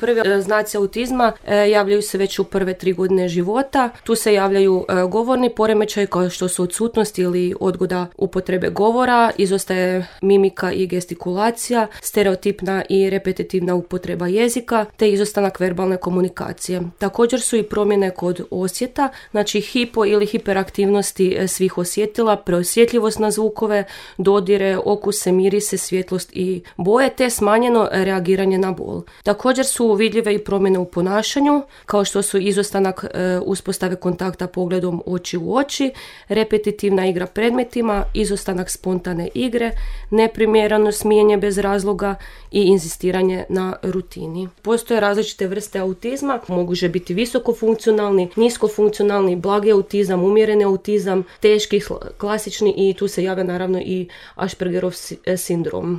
Prvi znaci autizma javljaju se već u prve 3 godine života. Tu se javljaju govorni poremećaj kao što su odsutnost ili odgoda upotrebe govora, izostaje mimika i gestikulacija, stereotipna i repetitivna upotreba jezika te izostanak verbalne komunikacije. Također su i promjene kod osjeta, znači hipo ili hiperaktivnosti svih osjetila, preosjetljivost na zvukove, dodire, okuse, mirise, svjetlost i boje te smanjeno reagiranje na bol. Također su vidljive i promjene u ponašanju, kao što su izostanak uspostave kontakta pogledom oči u oči, repetitivna igra predmetima, izostanak spontane igre, neprimjereno smijanje bez razloga i inzistiranje na rutini. Postoje različite vrste autizma, mogu biti visokofunkcionalni, niskofunkcionalni, blagi autizam, umjereni autizam, teški, klasični i tu se javlja naravno i Aspergerov sindrom.